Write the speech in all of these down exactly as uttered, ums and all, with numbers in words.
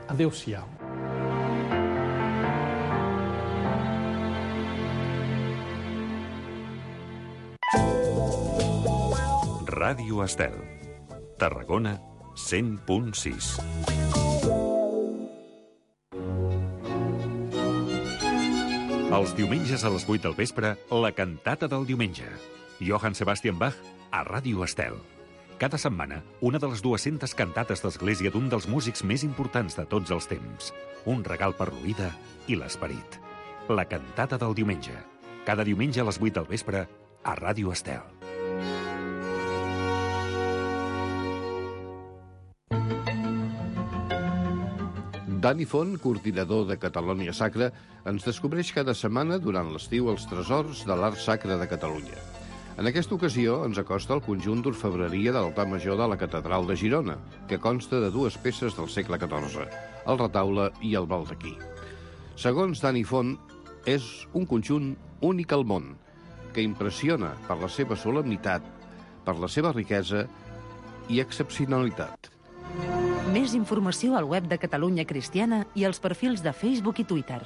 Adéu-siau. Ràdio Estel, Tarragona, cent punt sis. Els diumenges a les vuit del vespre, la cantata del diumenge. Johann Sebastian Bach a Ràdio Estel. Cada setmana, una de les dues-centes cantates d'església d'un dels músics més importants de tots els temps. Un regal per l'oïda i l'esperit. La cantata del diumenge. Cada diumenge a les vuit del vespre a Ràdio Estel. Dani Font, coordinador de Catalunya Sacra, ens descobreix cada setmana durant l'estiu els tresors de l'art sacre de Catalunya. En aquesta ocasió ens acosta el conjunt d'orfebreria de l'altar major de la Catedral de Girona, que consta de dues peces del segle catorze, el retaule i el baldaquí. Segons Dani Font, és un conjunt únic al món, que impressiona per la seva solemnitat, per la seva riquesa i excepcionalitat. Més informació al web de Catalunya Cristiana i als perfils de Facebook i Twitter.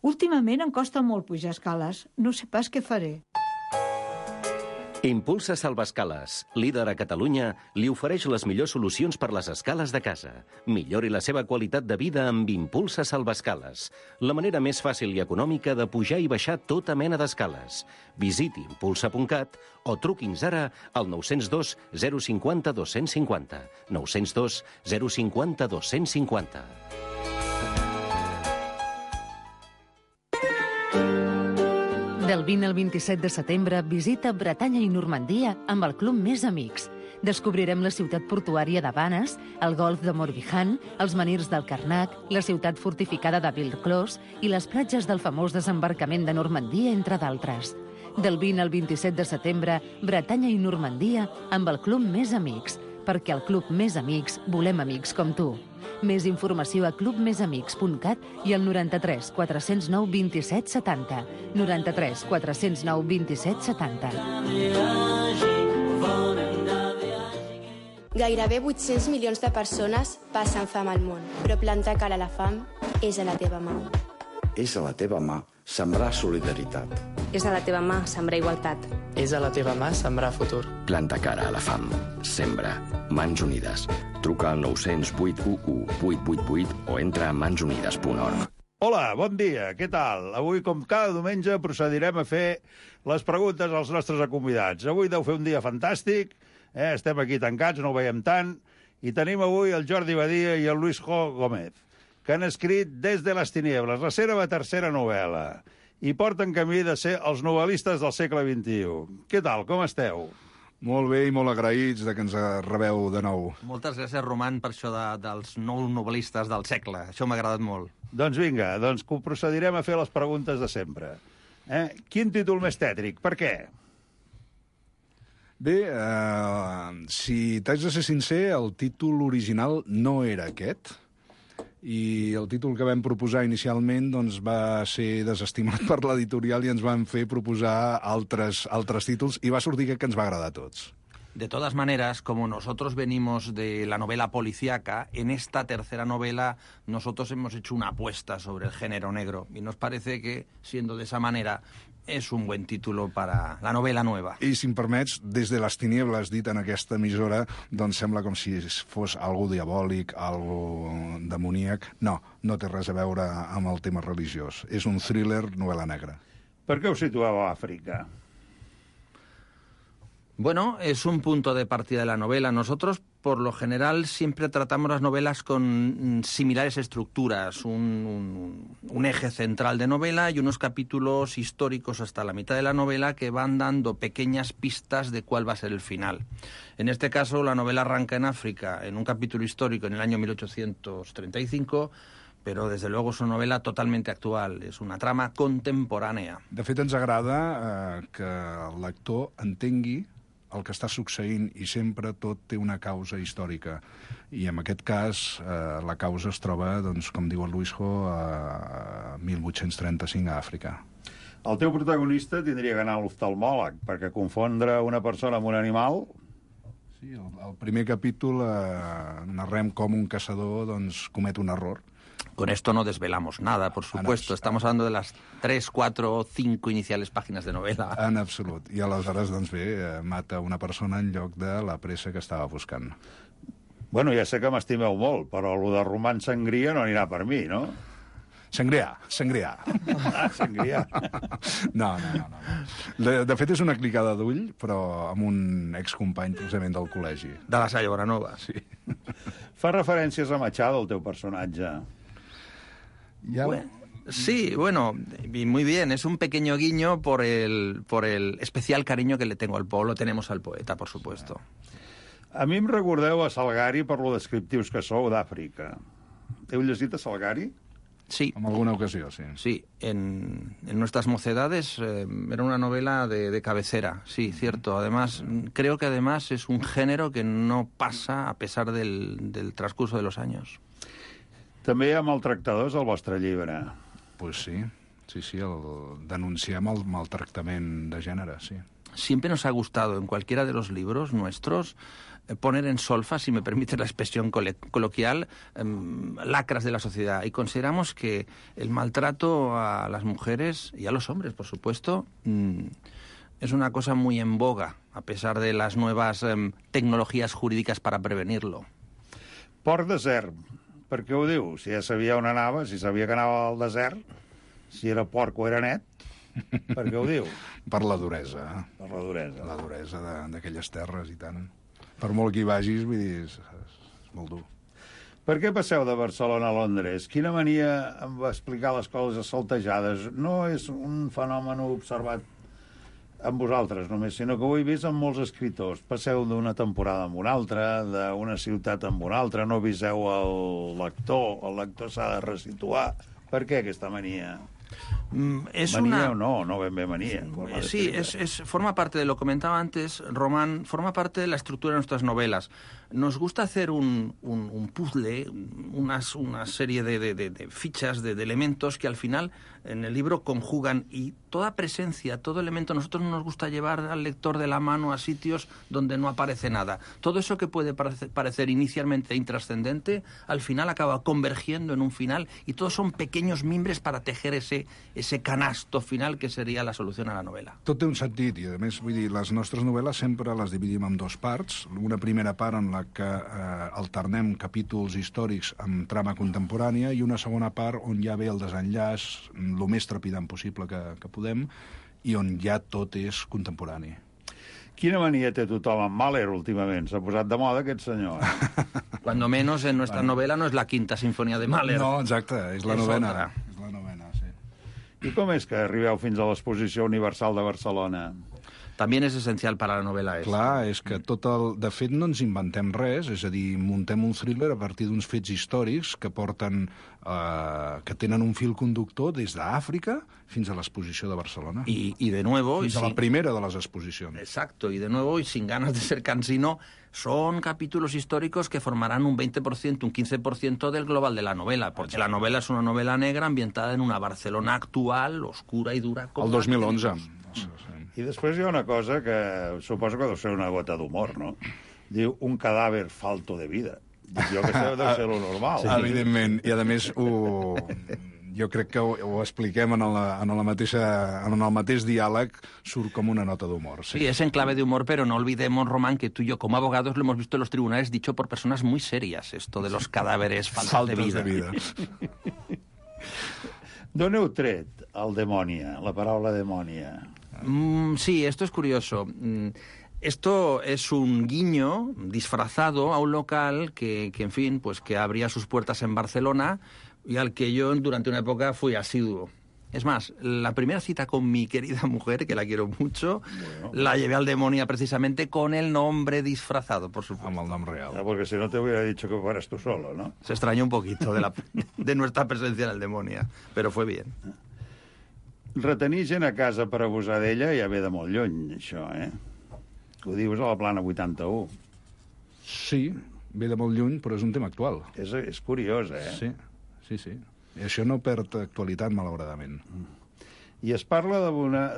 Últimament em costa molt pujar escales. No sé pas què faré. Impulsa Salvaescales, líder a Catalunya, li ofereix les millors solucions per les escales de casa. Millori la seva qualitat de vida amb Impulsa Salvaescales, la manera més fàcil i econòmica de pujar i baixar tota mena d'escales. Visiti impulsa punt cat o truqui'ns ara al nou zero dos zero cinc zero dos cinc zero, nou zero dos zero cinc zero dos cinc zero. Del vint al vint-i-set de setembre, visita Bretanya i Normandia amb el Club Més Amics. Descobrirem la ciutat portuària de Vannes, el golf de Morbihan, els menirs del Carnac, la ciutat fortificada de Villclos i les platges del famós desembarcament de Normandia, entre d'altres. Del vint al vint-i-set de setembre, Bretanya i Normandia amb el Club Més Amics, perquè al Club Més Amics volem amics com tu. Més informació a club més amics punt cat i al noranta-tres quatre zero nou vint-i-set setanta. noranta-tres quatre zero nou vint-i-set setanta. Gairebé vuit-cents milions de persones passen fam al món, però plantar cara a la fam és a la teva mà. És a la teva mà sembrar solidaritat. És a la teva mà sembrar igualtat. És a la teva mà sembrar futur. Planta cara a la fam. Sembra. Mans Unides. Truca al nou zero vuit u u vuit vuit vuit o entra a mans unides punt org. Hola, bon dia, què tal? Avui, com cada diumenge, procedirem a fer les preguntes als nostres convidats. Avui deu fer un dia fantàstic, eh? Estem aquí tancats, no ho veiem tant, i tenim avui el Jordi Badia i el Luis Jo Gómez, que han escrit Des de les tiniebles, la seva tercera novel·la, i porten camí de ser els novel·listes del segle vint-i-u. Què tal, com esteu? Molt bé i molt agraïts de que ens rebeu de nou. Moltes gràcies, Roman, per això de, dels nous novel·listes del segle. Això m'ha agradat molt. Doncs vinga, doncs procedirem a fer les preguntes de sempre. Eh? Quin títol més tètric? Per què? Bé, eh, si t'haig de ser sincer, el títol original no era aquest. I el títol que vam proposar inicialment doncs, va ser desestimat per l'editorial i ens van fer proposar altres, altres títols i va sortir que ens va agradar a tots. De todas maneras, como nosotros venimos de la novela policíaca, en esta tercera novela nosotros hemos hecho una apuesta sobre el género negro y nos parece que, siendo de esa manera, és un bon títol per a la novel·la nova. I, si em permets, Des de les tiniebles, dit en aquesta emissora, doncs sembla com si fos algú diabòlic, algú demoníac. No, no té res a veure amb el tema religiós. És un thriller novel·la negra. Per què us situeu a Àfrica? Bueno, es un punto de partida de la novela. Nosotros, por lo general, siempre tratamos las novelas con similares estructuras, un, un, un eje central de novela y unos capítulos históricos hasta la mitad de la novela que van dando pequeñas pistas de cuál va a ser el final. En este caso, la novela arranca en África, en un capítulo histórico en el año mil ochocientos treinta y cinco, però, des de luego, és una novel·la totalment actual. És una trama contemporània. De fet, ens agrada eh, que el lector entengui el que està succeint i sempre tot té una causa històrica. I en aquest cas eh, la causa es troba, doncs, com diu el Luis Jo, a mil vuit-cents trenta-cinc a Àfrica. El teu protagonista tindria que anar a l'oftalmòleg, perquè confondre una persona amb un animal, Sí, el, el primer capítol eh, narrem com un caçador doncs, comet un error. Con esto no desvelamos nada, por supuesto. Estamos hablando de las tres, cuatro o cinco iniciales páginas de novela. En absolut. I aleshores, doncs bé, eh, mata una persona en lloc de la pressa que estava buscant. Bueno, ja sé que m'estimeu molt, però el de roman sangria no anirà per mi, no? Sangrià, sangrià. Ah, sangrià. No, no, no. no. De, de fet, és una clicada d'ull, però amb un excompany, precisament, del col·legi. De la Salle Bonanova. Sí. Fa referències a Machado, el teu personatge. Ya... Bueno, sí, bueno, y muy bien. Es un pequeño guiño por el, por el especial cariño que le tengo al pueblo. Tenemos al poeta, por supuesto. A mi em recordeu a Salgari per lo descriptius que sou d'Àfrica. Heu llegit a Salgari? Sí. En alguna ocasió, sí. Sí, en, en nuestras mocedades eh, era una novela de, de cabecera, sí, cierto. Además, creo que además es un género que no pasa a pesar del, del transcurso de los años. També hi ha maltractadors al vostre llibre. Pues sí, sí, sí, el, denunciem el maltractament de gènere, sí. Siempre nos ha gustado en cualquiera de los libros nuestros eh, poner en solfa, si me permite la expresión col coloquial, eh, lacras de la sociedad. Y consideramos que el maltrato a las mujeres y a los hombres, por supuesto, mmm, es una cosa muy en boga, a pesar de las nuevas eh, tecnologías jurídicas para prevenirlo. Port desert. Per què ho diu? Si ja sabia on anava, si sabia que anava al desert, si era porc o era net, per què ho diu? Per la duresa. Per la duresa. La duresa d'aquelles terres i tant. Per molt que hi vagis, vull dir, és, és molt dur. Per què passeu de Barcelona a Londres? Quina mania em va explicar les coses saltejades? No és un fenomen observat amb vosaltres només, sinó que ho he vist amb molts escriptors. Passeu d'una temporada amb una altra, d'una ciutat amb una altra, no viseu el lector, el lector s'ha de resituar. Per què aquesta mania? Mm, es manía una... o no, no ben bé manía. Sí, es, es, forma parte de lo que comentaba antes, Román, forma parte de la estructura de nuestras novelas. Nos gusta hacer un, un, un puzzle, unas, una serie de, de, de, de fichas, de, de elementos que al final en el libro conjugan, y toda presencia, todo elemento, a nosotros no nos gusta llevar al lector de la mano a sitios donde no aparece nada. Todo eso que puede parecer, parecer inicialmente intrascendente, al final acaba convergiendo en un final, y todos son pequeños mimbres para tejer ese, ese canasto final que sería la solución a la novela. Tot té un sentit, i a més, vull dir, les nostres novel·les sempre les dividim en dos parts. Una primera part en la que eh, alternem capítols històrics amb trama contemporània, i una segona part on ja ve el desenllaç, el més trepidant possible que, que podem, i on ja tot és contemporani. Quina mania té tothom amb Mahler últimament? S'ha posat de moda aquest senyor. Cuando menos en nuestra bueno. novela no es la quinta sinfonía de Mahler. No, exacte, és la és novena. Otra. És la novena, sí. I com és que arribeu fins a l'Exposició Universal de Barcelona? També és essencial per a la novel·la. És. Clar, és que tot el... De fet, no ens inventem res, és a dir, muntem un thriller a partir d'uns fets històrics que porten... Eh, que tenen un fil conductor des d'Àfrica fins a l'exposició de Barcelona. Y, y de nuevo... Fins y a la sin... primera de les exposicions. Exacto, y de nuevo, y sin ganas de ser cansino, son capítulos históricos que formarán un veinte por ciento, un quince por ciento del global de la novela, porque la novela es una novela negra ambientada en una Barcelona actual, oscura y dura. El dos mil onze. I després hi ha una cosa que suposo que deu ser una gota d'humor, no? Diu, un cadàver falto de vida. Jo que sé, deu ser lo normal. Sí, evidentment, i a més ho... jo crec que ho, ho expliquem en, la, en, la mateixa, en el mateix diàleg, surt com una nota d'humor. Sí. sí, es en clave de humor, pero no olvidemos, Román, que tú y yo como abogados lo hemos visto en los tribunales dicho por personas muy serias, esto de los cadáveres faltos de vida. De vida. D'on heu tret el demònia, la paraula demònia? Mm, sí, esto es curioso. Mm, esto es un guiño disfrazado a un local que, que, en fin, pues que abría sus puertas en Barcelona y al que yo durante una época fui asiduo. Es más, la primera cita con mi querida mujer, que la quiero mucho, bueno. la llevé al Demonia precisamente con el nombre disfrazado, por supuesto. Amb el nom real. Ah, porque si no te hubiera dicho que fueras tú solo, ¿no? Se extrañó un poquito de, la, de nuestra presencia en el Demonia, pero fue bien. Retenir gent a casa per abusar d'ella ja ve de molt lluny, això, eh? Ho dius a la plana vuitanta-u. Sí, ve de molt lluny, però és un tema actual. És, és curiós, eh? Sí, sí, sí. I això no perd actualitat, malauradament. I es parla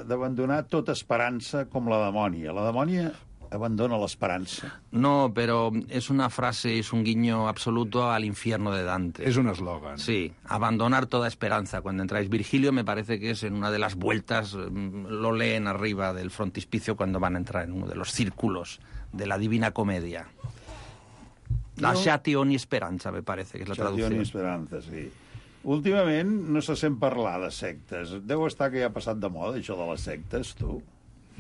d'abandonar tota esperança com la demònia. La demònia abandona l'esperanza. No, pero es una frase, es un guiño absoluto al infierno de Dante. Es un eslogan. Sí, abandonar toda esperanza. Cuando entráis, Virgilio me parece que es en una de las vueltas, lo leen arriba del frontispicio cuando van a entrar en uno de los círculos de la Divina Comedia. Lasciati ogni speranza, me parece que es la traducció. Lasciati ogni speranza, sí. Últimament no se sent parlar de sectes. Deu estar que ja ha passat de moda, això de les sectes, tu.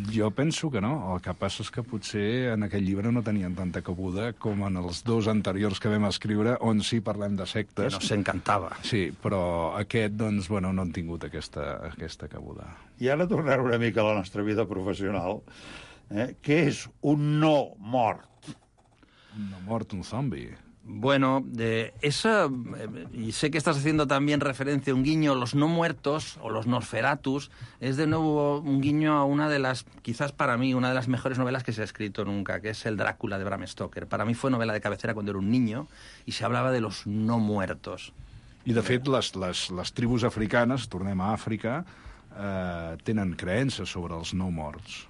Jo penso que no. El que passa és que potser en aquell llibre no tenien tanta cabuda com en els dos anteriors que vam escriure, on sí parlem de sectes. Que nos encantava. Sí, però aquest, doncs, bueno, no han tingut aquesta, aquesta cabuda. I ara tornar una mica a la nostra vida professional. Eh? Què és un no mort? Un no mort, un zombi. Bueno, de esa, eh, y sé que estás haciendo también referencia a un guiño, los no muertos, o los Nosferatus, es de nuevo un guiño a una de las, quizás para mí, una de las mejores novelas que se ha escrito nunca, que es el Drácula de Bram Stoker. Para mí fue novela de cabecera cuando era un niño, y se hablaba de los no muertos. I, de fet, les, les, les tribus africanes, tornem a Àfrica, eh, tenen creences sobre els no morts.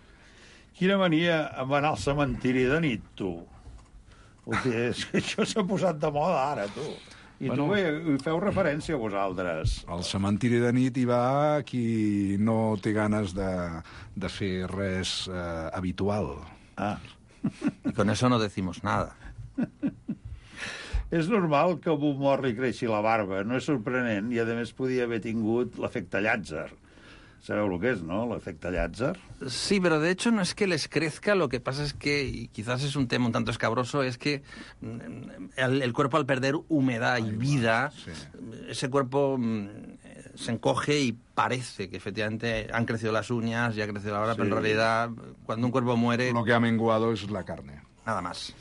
Quina mania amb anar al cementiri de nit, tu. Hòstia, és que això s'ha posat de moda ara, tu. I bueno, tu bé, hi feu referència a vosaltres. Al cementiri de nit hi va qui no té ganes de, de fer res eh, habitual. Ah. Y con eso no decimos nada. És normal que a un mort li creixi la barba, no és sorprenent, i a més podia haver tingut l'efecte Llàtzer. ¿Sabeu lo que es, no? El efecto Llàtzer. Sí, pero de hecho no es que les crezca, lo que pasa es que, y quizás es un tema un tanto escabroso, es que el, el cuerpo al perder humedad y vida, sí. ese cuerpo se encoge y parece que efectivamente han crecido las uñas, ya ha crecido la barba, sí. Pero en realidad cuando un cuerpo muere... Lo que ha menguado es la carne. Nada más.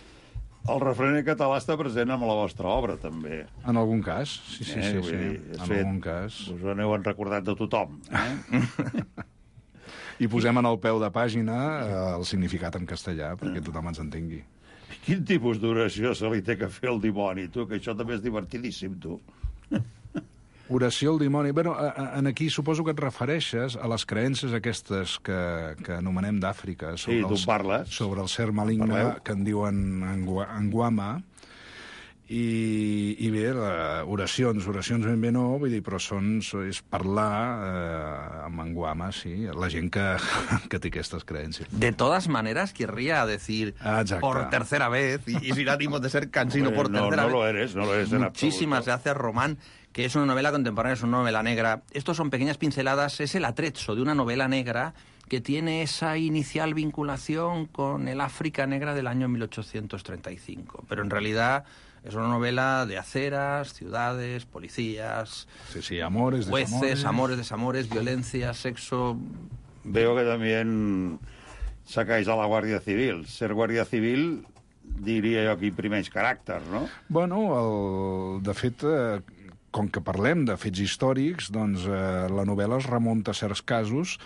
El refrener català està present amb la vostra obra, també. En algun cas, sí, sí, eh, sí, sí. Dir, en fet, algun cas. Us ho n'heu recordat de tothom. Eh? I posem en el peu de pàgina el significat en castellà, perquè tothom ens entengui. Quin tipus d'oració se li té que fer al dimoni, tu? Que això també és divertidíssim, tu. Oració al dimoni. Bueno, en aquí suposo que et refereixes a les creences aquestes que, que anomenem d'Àfrica. Sí, tu parles. Sobre el ser maligne, que en diuen Anguama. I, i bé, oracions, oracions ben bé no, vull dir, però són, és parlar eh, amb Anguama, sí, la gent que, que té aquestes creences. De todas maneras, querría decir Exacte. Por tercera vez, y, y sin ánimos de ser cansino, Hombre, por no, tercera no vez. Lo eres, no lo eres en Muchísimas gracias, Román, que es una novela contemporánea, es una novela negra. Estos son pequeñas pinceladas, es el atrezzo de una novela negra que tiene esa inicial vinculación con el África negra del año mil ochocientos treinta y cinco. Pero en realidad es una novela de aceras, ciudades, policías, sí, sí, amores, jueces, desamores. amores, desamores, violencia, sexo... Veo que también sacáis a la Guàrdia Civil. Ser Guàrdia Civil, diria jo que imprimeix caràcter, no? Bueno, el, de fet... Eh, com que parlem de fets històrics, doncs eh, la novel·la es remunta a certs casos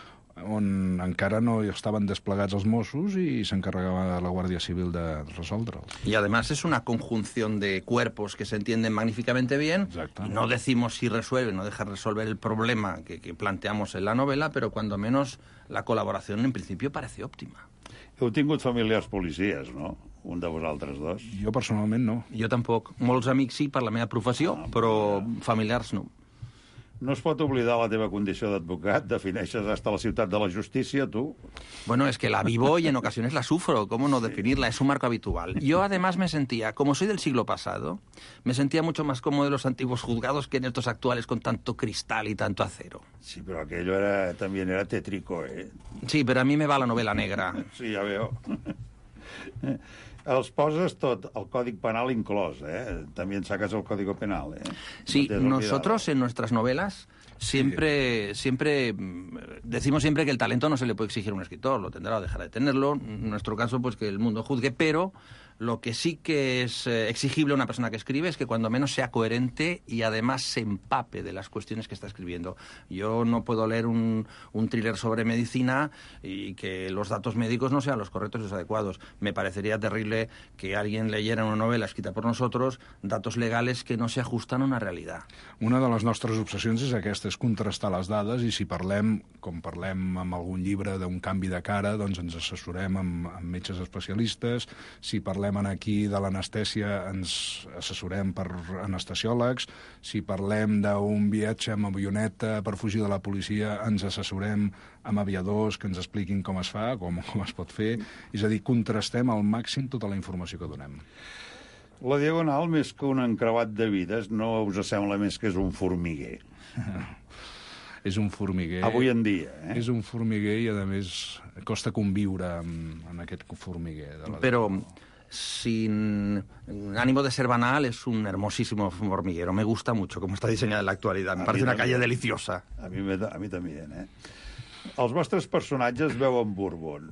on encara no estaven desplegats els Mossos i s'encarregava la Guàrdia Civil de resoldre'ls. Y además es una conjunción de cuerpos que se entienden magníficamente bien. Exacte. Y no decimos si resuelve, no deja resolver el problema que, que planteamos en la novela, pero cuando menos la colaboración en principio parece óptima. Heu tingut familiars policies, no? Un de vosaltres dos. Jo personalment no. Jo tampoc. Molts amics sí per la meva professió, ah, però ja. Familiars no. No es pot oblidar la teva condició d'advocat, defineixes hasta la ciutat de la justícia, tú. Bueno, es que la vivo y en ocasiones la sufro, ¿cómo no definirla? Es un marco habitual. Yo además me sentía, como soy del siglo pasado, me sentía mucho más cómodo en los antiguos juzgados que en estos actuales con tanto cristal y tanto acero. Sí, pero aquello era, también era tétrico, ¿eh? Sí, pero a mí me va la novela negra. Sí, ja veo. Els poses tot, el Código Penal inclòs, ¿eh? También sacas el Código Penal, ¿eh? Sí, no nosotros en nuestras novelas siempre, sí. siempre decimos siempre que el talento no se le puede exigir a un escritor, lo tendrá o dejará de tenerlo. En nuestro caso, pues que el mundo juzgue, pero Lo que sí que es eh, exigible a una persona que escribe es que cuando menos sea coherente y además se empape de las cuestiones que está escribiendo. Yo no puedo leer un, un thriller sobre medicina y que los datos médicos no sean los correctos y los adecuados. Me parecería terrible que alguien leyera una novela escrita por nosotros datos legales que no se ajustan a una realidad. Una de les nostres obsessions és aquesta, és contrastar les dades, i si parlem, com parlem amb algun llibre d'un canvi de cara, doncs ens assessorem amb, amb metges especialistes. Si parlem aquí de l'anestèsia, ens assessorem per anestesiòlegs. Si parlem d'un viatge amb avioneta per fugir de la policia, ens assessorem amb aviadors que ens expliquin com es fa, com, com es pot fer. És a dir, contrastem al màxim tota la informació que donem. La Diagonal, més que un encreuat de vides, no us sembla més que és un formiguer? És un formiguer. Avui en dia, eh? És un formiguer i, a més, costa conviure amb, amb aquest formiguer. De la Però, sin ánimo de ser banal, es un hermosísimo hormiguero. Me gusta mucho cómo está diseñada en la actualidad. Me parece una calle deliciosa. A mi, a mi també, eh? Els vostres personatges veuen Bourbon.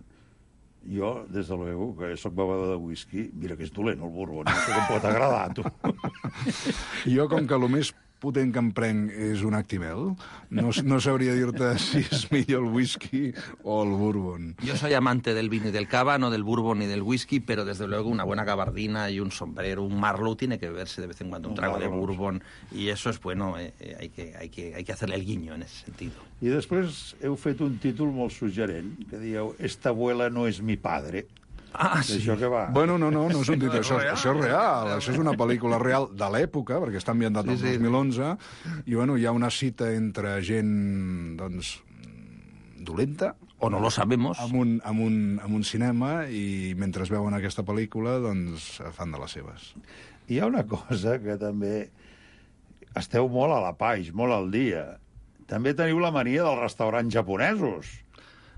Jo, des de luego, que soc bevedor de whisky, mira que és dolent el Bourbon, no sé com pot agradar, tu. Jo, com que el més potent que em prenc és un Actimel, no, no sabria dir-te si és millor el whisky o el bourbon. Yo soy amante del vino y del cava, no del bourbon ni del whisky, pero desde luego una buena gabardina y un sombrero, un Marlowe, tiene que beberse de vez en cuando un trago de bourbon, y eso es bueno, eh, eh, hay, que, hay, que, hay que hacerle el guiño en ese sentido. I després heu fet un títol molt suggerent, que dieu «Esta abuela no es mi padre». Ah, sí. Això que va. Bueno, no, no, no és un títol, això, això és real, això és una pel·lícula real de l'època, perquè està ambientat el sí, sí. dos mil onze, i bueno, hi ha una cita entre gent, doncs, dolenta, o no lo sabemos, amb un, amb un, amb un cinema, i mentre veuen aquesta pel·lícula, doncs, fan de les seves. Hi ha una cosa que també esteu molt a la paix, molt al dia. També teniu la mania dels restaurants japonesos.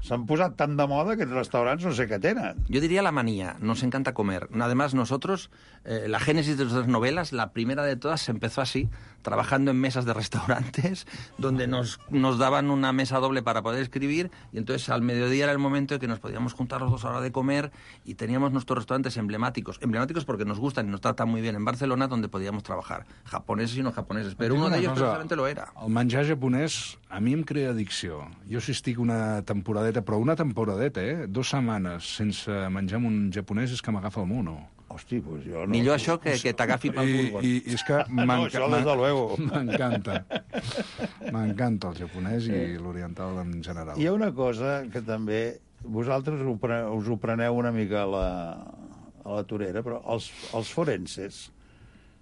S'han posat tan de moda que els restaurants no sé què tenen. Yo diría la manía, nos encanta comer. Además, nosotros, eh, la génesis de nuestras novelas, la primera de todas, se empezó así, trabajando en mesas de restaurantes, donde nos, nos daban una mesa doble para poder escribir, y entonces al mediodía era el momento en que nos podíamos juntar los dos a la hora de comer, y teníamos nuestros restaurantes emblemáticos. Emblemáticos porque nos gustan y nos tratan muy bien en Barcelona, donde podíamos trabajar. Japoneses y no japoneses, pero uno de ellos precisamente lo era. El menjar japonès a mi em crea addicció. Jo si estic una temporadeta, però una temporadeta, eh? Dues setmanes sense menjar amb un japonès és que m'agafa el mono. Hosti, pues jo no... Millor això que, que t'agafi pel bourbon. I, i és que no, això des de luego. M'encanta. M'encanta el japonès i l'oriental en general. Hi ha una cosa que també... Vosaltres ho pre, us ho preneu una mica a la, a la torera, però els, els forenses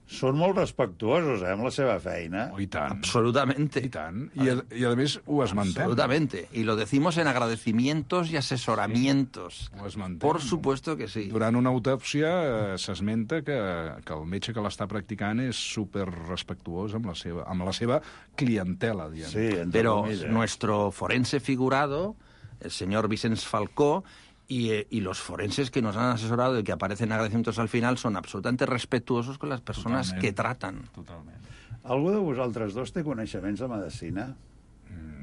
són molt respectuosos, eh, amb la seva feina. Oh, i tant. Absolutamente. I tant. I a, i a més ho esmentem. Absolutamente. Y lo decimos en agradecimientos y asesoramientos. Ho esmentem. Por supuesto que sí. Durant una autòpsia eh, s'esmenta que, que el metge que l'està practicant és super respectuós amb la seva, amb la seva clientela, diguem. Sí, pero nuestro forense figurado, el señor Vicens Falcó, Y, eh, y los forenses que nos han asesorado y que aparecen agradecimientos al final son absolutamente respetuosos con las personas Totalment. que tratan. Totalment. Algú de vosaltres dos té coneixements de medicina?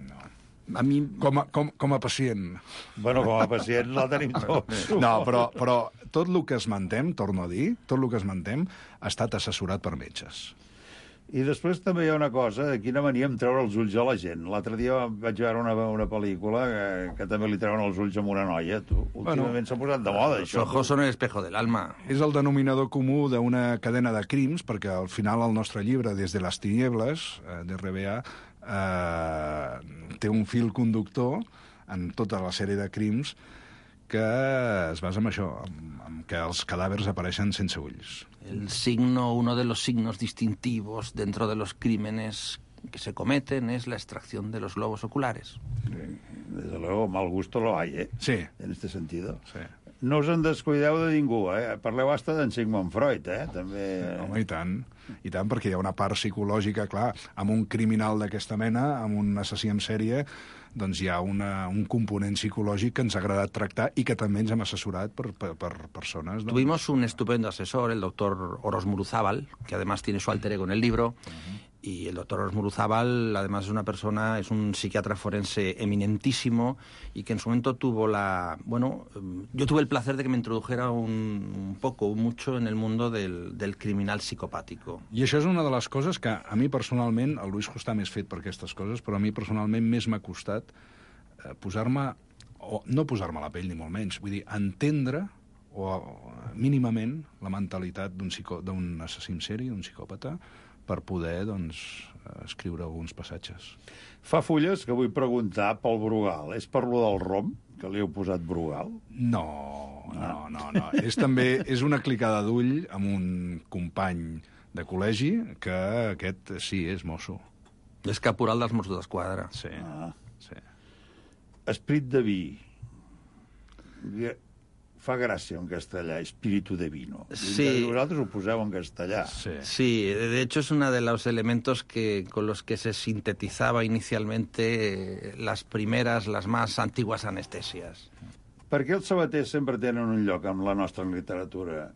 No. A mi... Com a, com, com a pacient. Bueno, com a pacient la tenim tots. No, però, però tot el que esmentem, torno a dir, tot el que esmentem ha estat assessorat per metges. I després també hi ha una cosa, de quina mania em treure els ulls a la gent. L'altre dia vaig veure una, una pel·lícula que, que també li treuen els ulls a una noia. Tu, últimament bueno, s'ha posat de moda, això. Els ojos són el espejo del alma. És el denominador comú d'una cadena de crims, perquè al final el nostre llibre, Des de les tinieblas, eh, de R B A, eh, té un fil conductor en tota la sèrie de crims que es basa en això, en, en que els cadàvers apareixen sense ulls. El signo, uno de los signos distintivos dentro de los crímenes que se cometen es la extracción de los globos oculares. Sí, desde luego, mal gusto lo hay, ¿eh? Sí. En este sentido. Sí. No us en descuideu de ningú, eh? Parleu hasta d'en Sigmund Freud, eh? També... Home, i tant. I tant, perquè hi ha una part psicològica, clar, amb un criminal d'aquesta mena, amb un assassí en sèrie, doncs hi ha una, un component psicològic que ens ha agradat tractar i que també ens hem assessorat per, per, per persones. Tuvimos un estupendo asesor, el doctor Oros Muruzábal, que además tiene su alter ego en el libro, uh-huh. Y el doctor Osmuruzábal, además, es una persona, es un psiquiatra forense eminentísimo y que en su momento tuvo la... Bueno, yo tuve el placer de que me introdujera un, un poco, mucho en el mundo del, del criminal psicopàtico. I això és una de les coses que a mi personalment, el Luis està més fet per aquestes coses, però a mi personalment més m'ha costat eh, posar-me, o no posar-me a la pell ni molt menys, vull dir, entendre o mínimament la mentalitat d'un psico, d'un assassí en sèrie, d'un psicòpata, per poder, doncs, escriure alguns passatges. Fa fulles que vull preguntar pel Brugal. És per lo del rom, que li heu posat Brugal? No, no, no, no. És també és una clicada d'ull amb un company de col·legi que aquest sí, és mosso. És caporal dels Mossos d'Esquadra. Sí, ah. sí. Esprit de vi. Fa gràcia en castellà, espíritu de vino. Sí. Y vosotros ho poseu en castellà. Sí. sí, de hecho es uno de los elementos que con los que se sintetizaba inicialmente las primeras, las más antiguas anestesias. Per què els sabaters sempre tenen un lloc amb la nostra literatura?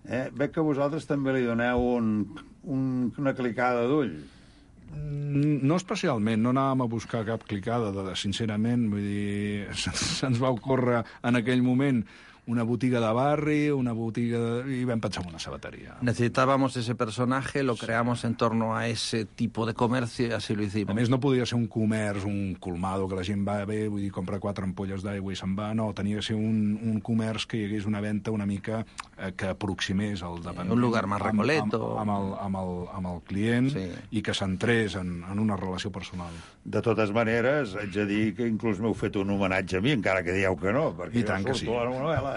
Eh? Veig que vosaltres també li doneu un, un, una clicada d'ull. No especialment, no anàvem a buscar cap clicada, de, sincerament, vull dir, se'ns va ocórrer en aquell moment una botiga de barri, una botiga de... y vam pensar en una sabatería. Necesitábamos ese personaje, lo creamos en torno a ese tipo de comercio y así lo hicimos. A més, no podia ser un comerç, un colmado, que la gent va bé, vull dir, compra quatre ampolles d'aigua i se'n va, no, tenia que ser un, un comerç que hi hagués una venda una mica eh, que aproximés al dependent. Un lugar más recoleto. Amb, amb, amb, el, amb, el, amb el client sí. I que centrés en, en una relació personal. De totes maneres, haig de dir que inclús m'heu fet un homenatge a mi, encara que dieu que no, perquè I tant jo que sí. surto a la novel·la, eh?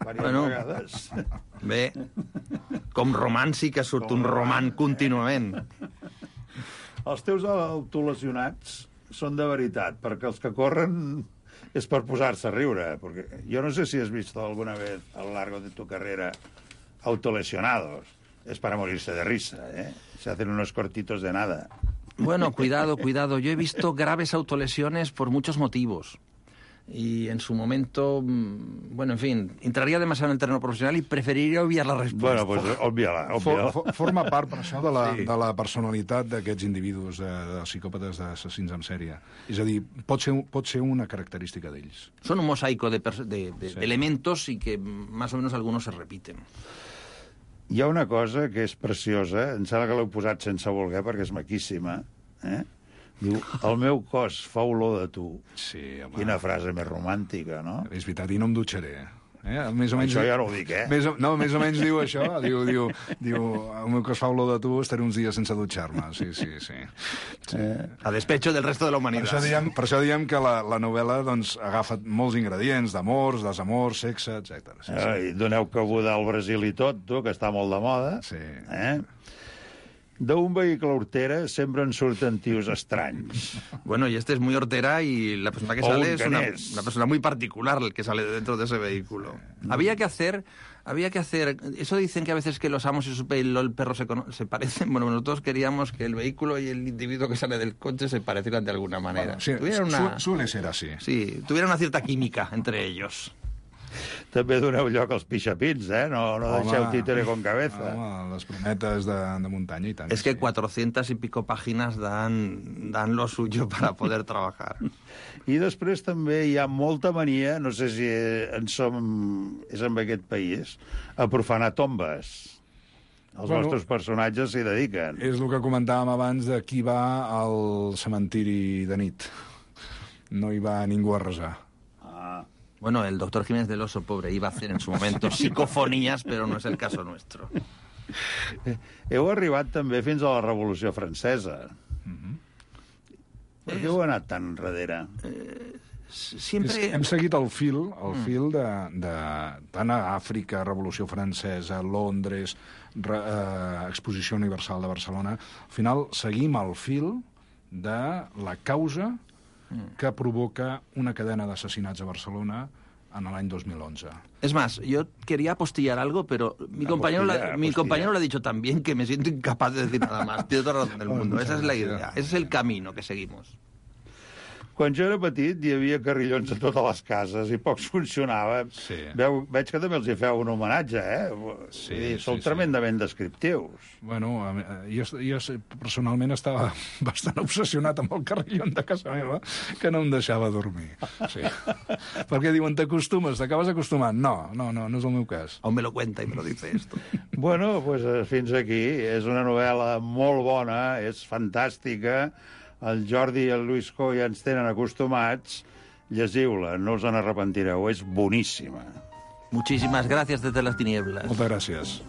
Diverses bueno, vegades. Bé, com romans sí que surt com un roman contínuament. Els teus autolesionats són de veritat, perquè els que corren és per posar-se a riure. Perquè jo no sé si has vist alguna vez a lo largo de tu carrera autolesionados. Es para morirse de risa, ¿eh? Se hacen unos cortitos de nada. Bueno, cuidado, cuidado. Yo he visto graves autolesiones por muchos motivos. Y en su momento, bueno, en fin, entraría demasiado en el terreno profesional y preferiria obviar la respuesta. Bueno, pues obvia-la, obvia-la. For, for, forma part, per això, de la, sí. de la personalitat d'aquests individus, de, de psicòpates, d'assassins en sèrie. És a dir, pot ser, pot ser una característica d'ells. Son un mosaico de, de, de, sí. de elementos y que más o menos algunos se repiten. Hi ha una cosa que és preciosa, em sembla que l'heu posat sense voler perquè és maquíssima, eh? Diu, el meu cos fa olor de tu. Sí, home. Quina frase més romàntica, no? És veritat, i no em dutxaré. Eh? Més o menys, això ja no ho dic, eh? Més o, no, més o menys diu això. Diu, diu, diu, el meu cos fa olor de tu, estaré uns dies sense dutxar-me. Sí, sí, sí. sí. Eh, a despecho del resto de la humanitat. Per això diem, per això diem que la, la novel·la doncs, agafa molts ingredients d'amors, desamors, sexe, etcètera. Sí, eh, sí. Doneu cabuda al Brasil i tot, tu, que està molt de moda. Sí. Eh? D'un vehicle hortera sempre en surten tios estranys. Bueno, y este es muy hortera y la persona que sale es una, una persona muy particular el que sale dentro de ese vehículo. Mm. Había que hacer, había que hacer, eso dicen que a veces que los amos y su pelo, el perro se, se parecen. Bueno, nosotros queríamos que el vehículo y el individuo que sale del coche se parecieran de alguna manera. Bueno, sí, una, su, suele ser así. Sí, tuviera una cierta química entre ellos. També doneu lloc als pixapins, eh? No, no home, deixeu títere con cabeza. Home, les brometes de, de muntanya i tant. Es que sí. cuatrocientas y pico páginas dan, dan lo suyo para poder trabajar. I després també hi ha molta mania, no sé si en som, és en aquest país, a profanar tombes. Els bueno, nostres personatges s'hi dediquen. És el que comentàvem abans de qui va al cementiri de nit. No hi va ningú a resar. Bueno, el doctor Jiménez del Oso, pobre, iba a hacer en su momento psicofonías, pero no es el caso nuestro. Heu arribat també fins a la Revolució Francesa. Mm-hmm. Per què heu anat tan enrere? Eh, siempre... Hem seguit el fil, el mm. fil de, de tant a Àfrica, Revolució Francesa, Londres, re, eh, Exposició Universal de Barcelona. Al final seguim el fil de la causa que provoca una cadena de asesinatos a Barcelona en el año dos mil once. Es más, yo quería apostillar algo, pero mi, compañero, la, mi compañero lo ha dicho tan bien que me siento incapaz de decir nada más. Tiene toda la razón del mundo. Esa es la idea. Ese es el camino que seguimos. quan jo era petit hi havia carrillons a totes les cases i pocs funcionaven. Sí. Veu, veig que també els hi feu un homenatge, eh? Sí, dir, sí, sou sí. tremendament descriptius. Bueno, jo, jo personalment estava bastant obsessionat amb el carrillon de casa meva, que no em deixava dormir. Sí. Perquè diuen, t'acostumes, t'acabes acostumant. No, no, no, no és el meu cas. Aún me lo cuenta y me lo dice esto. Bueno, pues fins aquí. És una novel·la molt bona, és fantàstica. El Jordi i el Lluís Coll ja ens tenen acostumats. Llegiu-la, no us en arrepentireu, és boníssima. Muchísimas gracias desde las tinieblas. Moltes gràcies.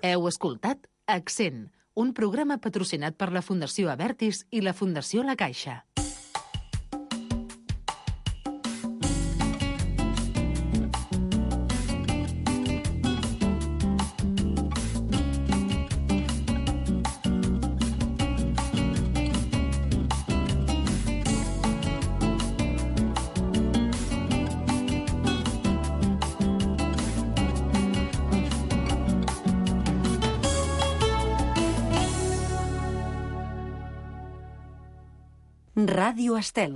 Heu escoltat Accent, un programa patrocinat per la Fundació Abertis i la Fundació La Caixa. Ràdio Estel.